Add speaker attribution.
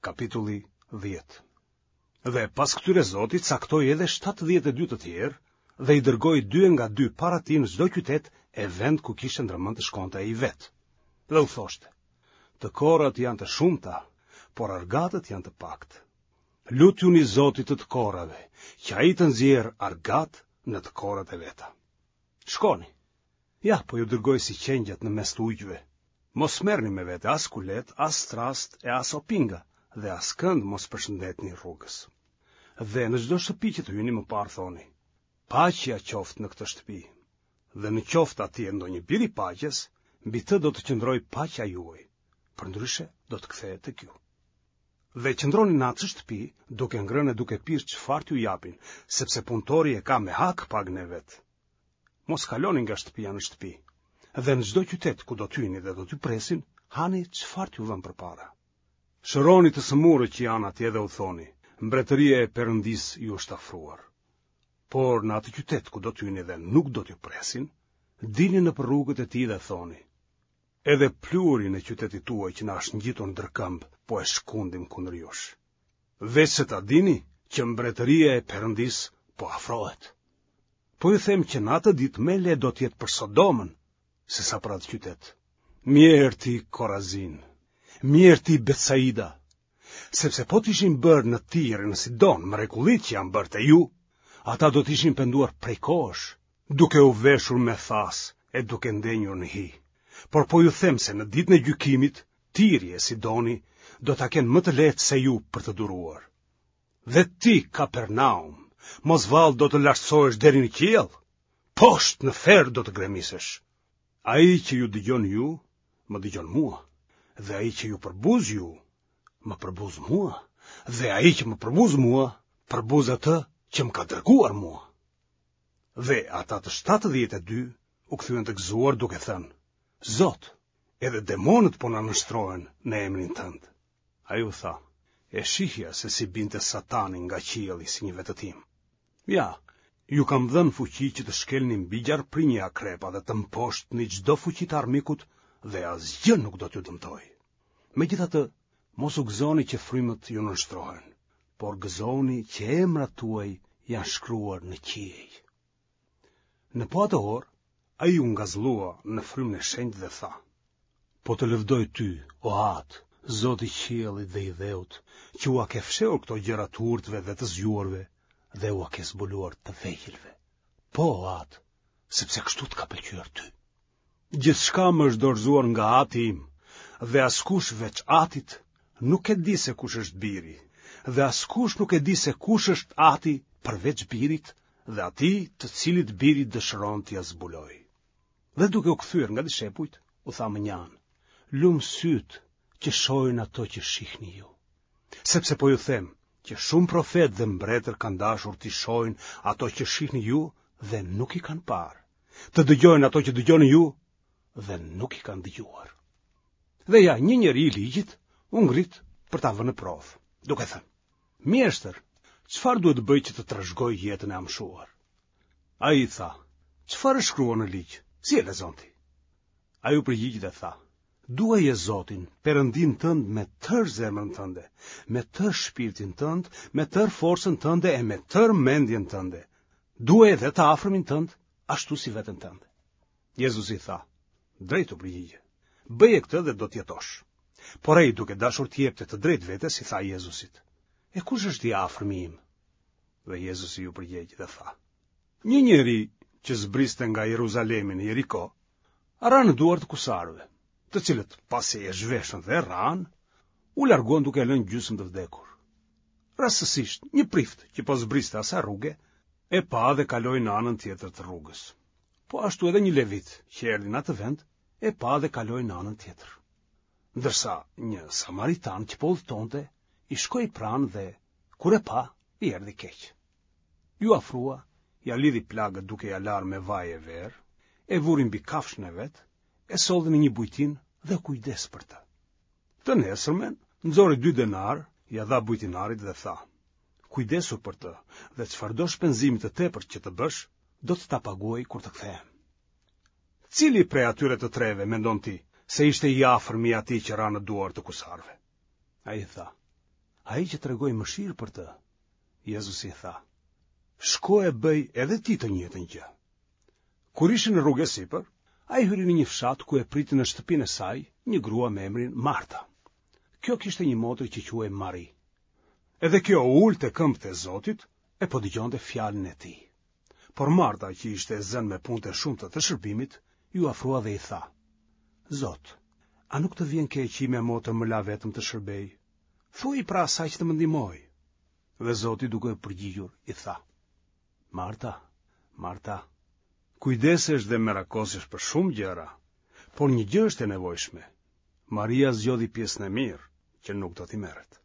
Speaker 1: Kapitulli 10. Dhe pas këtyre Zoti caktoi edhe 72 të tjerë dhe i dërgoi dy e nga dy para tij në çdo qytet e vend ku kishte ndërmend të shkonte ai vetë. Dhe u thoshte, të korrat janë të shumta, por argatët janë të paktë. Lutjuni Zotit të të korrave, që ai të nxjerrë argatë në të korrat e veta. Shkoni, Ja, po ju dërgoj si qengjat në mes të ujqve. Mos merrni me vete as kuletë, as trastë e as opinga dhe askënd mos përshëndetni rrugës. Dhe në çdo shtëpi që të hyni më parë thoni, paqja qoftë në këtë shtëpi. Dhe në qoftë atje ndonjë bir i paqes, mbi të do të qëndrojë paqja juaj, përndryshe do të kthehet tek ju. Dhe qëndroni në atë shtëpi, duke ngrënë e duke pirë çfarë t'ju japin, sepse punëtori e ka me hak pagën e vet. Mos kaloni nga shtëpia në shtëpi. Dhe në çdo qytet ku do të hyni dhe do t'ju presin, hani çfarë t'ju vënë përpara. Shëroni të sëmurët që janë atje dhe u thoni, mbretëria e Perëndisë ju është afruar. Por në atë qytet ku do të hyni dhe nuk do t'ju presin, dilni nëpër rrugët e tij dhe thoni, edhe pluhurin e qytetit tuaj që na është ngjitur ndër këmbë, po e shkundim kundër jush. Veçse ta dini që mbretëria e Perëndisë po afrohet. Po ju them që në atë ditë më e lehtë do të jetë për Sodomën, sesa për atë qytet. Mjerë ti Korazin, mjerë ti Betsaida, sepse po të ishin bërë në Tir e në Sidon mrekullitë që janë bërë te ju, ata do të ishin penduar prej kohësh, duke u veshur me thasë e duke ndenjur në hi. Por po ju them se në ditën e gjykimit, Tiri e Sidoni do ta kenë më të lehtë se ju për të duruar. Dhe ti, Kapernaum, mos vallë do të lartësohesh deri në qiell? Poshtë në ferr do të gremisesh. Ai që ju dëgjon ju, më dëgjon mua, dhe ai që ju përbuz ju, më përbuz mua, dhe ai që më përbuz mua, përbuz atë që më ka dërguar mua. Dhe ata të 72 u kthyen të gëzuar duke thënë, Zot, edhe demonët po na nënshtrohen në emrin tënd. Ai u tha, e shihja se si binte Satani nga qielli si një vetëtimë. Ja, ju kam dhënë fuqi që të shkelni mbi gjarpërinj e akrepa dhe të mposhtni çdo fuqi të armikut dhe asgjë nuk do t'ju dëmtojë. Megjithatë, mos u gëzoni që frymët ju nënshtrohen, por gëzohuni që emrat tuaj janë shkruar në qiej. Në po atë orë, ai u ngazëllua në frymën e shenjtë dhe tha: Po të lëvdoj ty, o Atë, Zot i qiellit dhe i dheut, që ua ke fshehur këto gjëra të urtëve dhe të zgjuarve dhe ua ke zbuluar të vegjëlve. Po, o Atë, sepse kështu të ka pëlqyer ty. Gjithçka më është dorëzuar nga Ati im, dhe askush veç Atit nuk e di se kush është biri, dhe askush nuk e di se kush është Ati përveç birit dhe atij të cilit biri dëshiron t'ia zbulojë. Dhe duke u kthyer nga dishepujt, u tha mënjanë, lum sytë që shohin ato që shihni ju. Sepse po ju them që shumë profetë dhe mbretër kanë dashur t'i shohin ato që shihni ju dhe nuk i kanë parë. Të dëgjojnë ato që dëgjoni ju dhe nuk i kanë dëgjuar. Dhe ja, një njeri i ligjit u ngrit për ta vënë në provë, duke thënë: Mjeshtër, çfarë duhet të bëj që të trashëgoj jetën e amshuar? Ai i tha: Çfarë është shkruar në ligj? Si e lexon ti? Ai u përgjigj dhe tha: Duaje Zotin, Perëndinë tënd me tërë zemrën tënde, me tërë shpirtin tënd, me tërë forcën tënde e me tërë mendjen tënde. Duaje dhe të afërmin tënd, ashtu si veten tënde. Jezusi i tha: Drejt u përgjigje. Bëje këtë dhe do të jetosh. Por ai duke dashur t'i jepte të drejtë vetes i tha Jezusit: E kush është i afërmi im? Dhe Jezusi iu përgjigj dhe tha: Një njeri që zbriste nga Jeruzalemi në Jeriko, ra në duar të kusarëve, të cilët pasi e zhveshën dhe e rrahën, u larguan duke e lënë gjysmë të vdekur. Rastësisht, një prift që po zbriste asaj rruge, e pa dhe kaloi në anën tjetër të rrugës. Po ashtu edhe një levit që erdhi në atë vend, e pa dhe kaloi në anën tjetër. Ndërsa një samaritan që po udhëtonte, i shkoi pranë dhe, kur e pa, i erdhi keq. Iu afrua, ia lidhi plagët duke ia larë me vaj e verë, e vuri mbi kafshën e vet, e solli në një bujtinë dhe u kujdes për të. Të nesërmen, nxori dy denarë, ia dha bujtinarit dhe tha, kujdesu për të dhe çfarëdo shpenzimi të tepërt që të bësh, do të ta paguaj kur të kthehem. Cili prej atyre të treve mendon ti se ishte i afërmi i atij që ra në duar të kusarëve? Ai tha: Ai që tregoi mëshirë për të. Jezusi i tha, Shko e bëj edhe ti të njëjtën gjë. Kur ishin në rrugë e sipër, ai hyri në një fshat ku e priti në shtëpinë e saj një grua me emrin Marta. Kjo kishte një motër që quhej Mari. Edhe kjo u ul te këmbët e Zotit e po dëgjonte fjalën e tij. Por Marta, që ishte e zënë me punët e shumta të shërbimit, iu afrua dhe i tha: Zot, a nuk të vjen keq që ime motër më la vetëm të shërbej? Thuaji pra asaj që të më ndihmojë. Dhe Zoti duke u përgjigjur i tha: Marta, Marta, kujdesesh dhe merakosesh për shumë gjëra, por një gjë është e nevojshme. Maria zgjodhi pjesën e mirë, që nuk do t'i merret.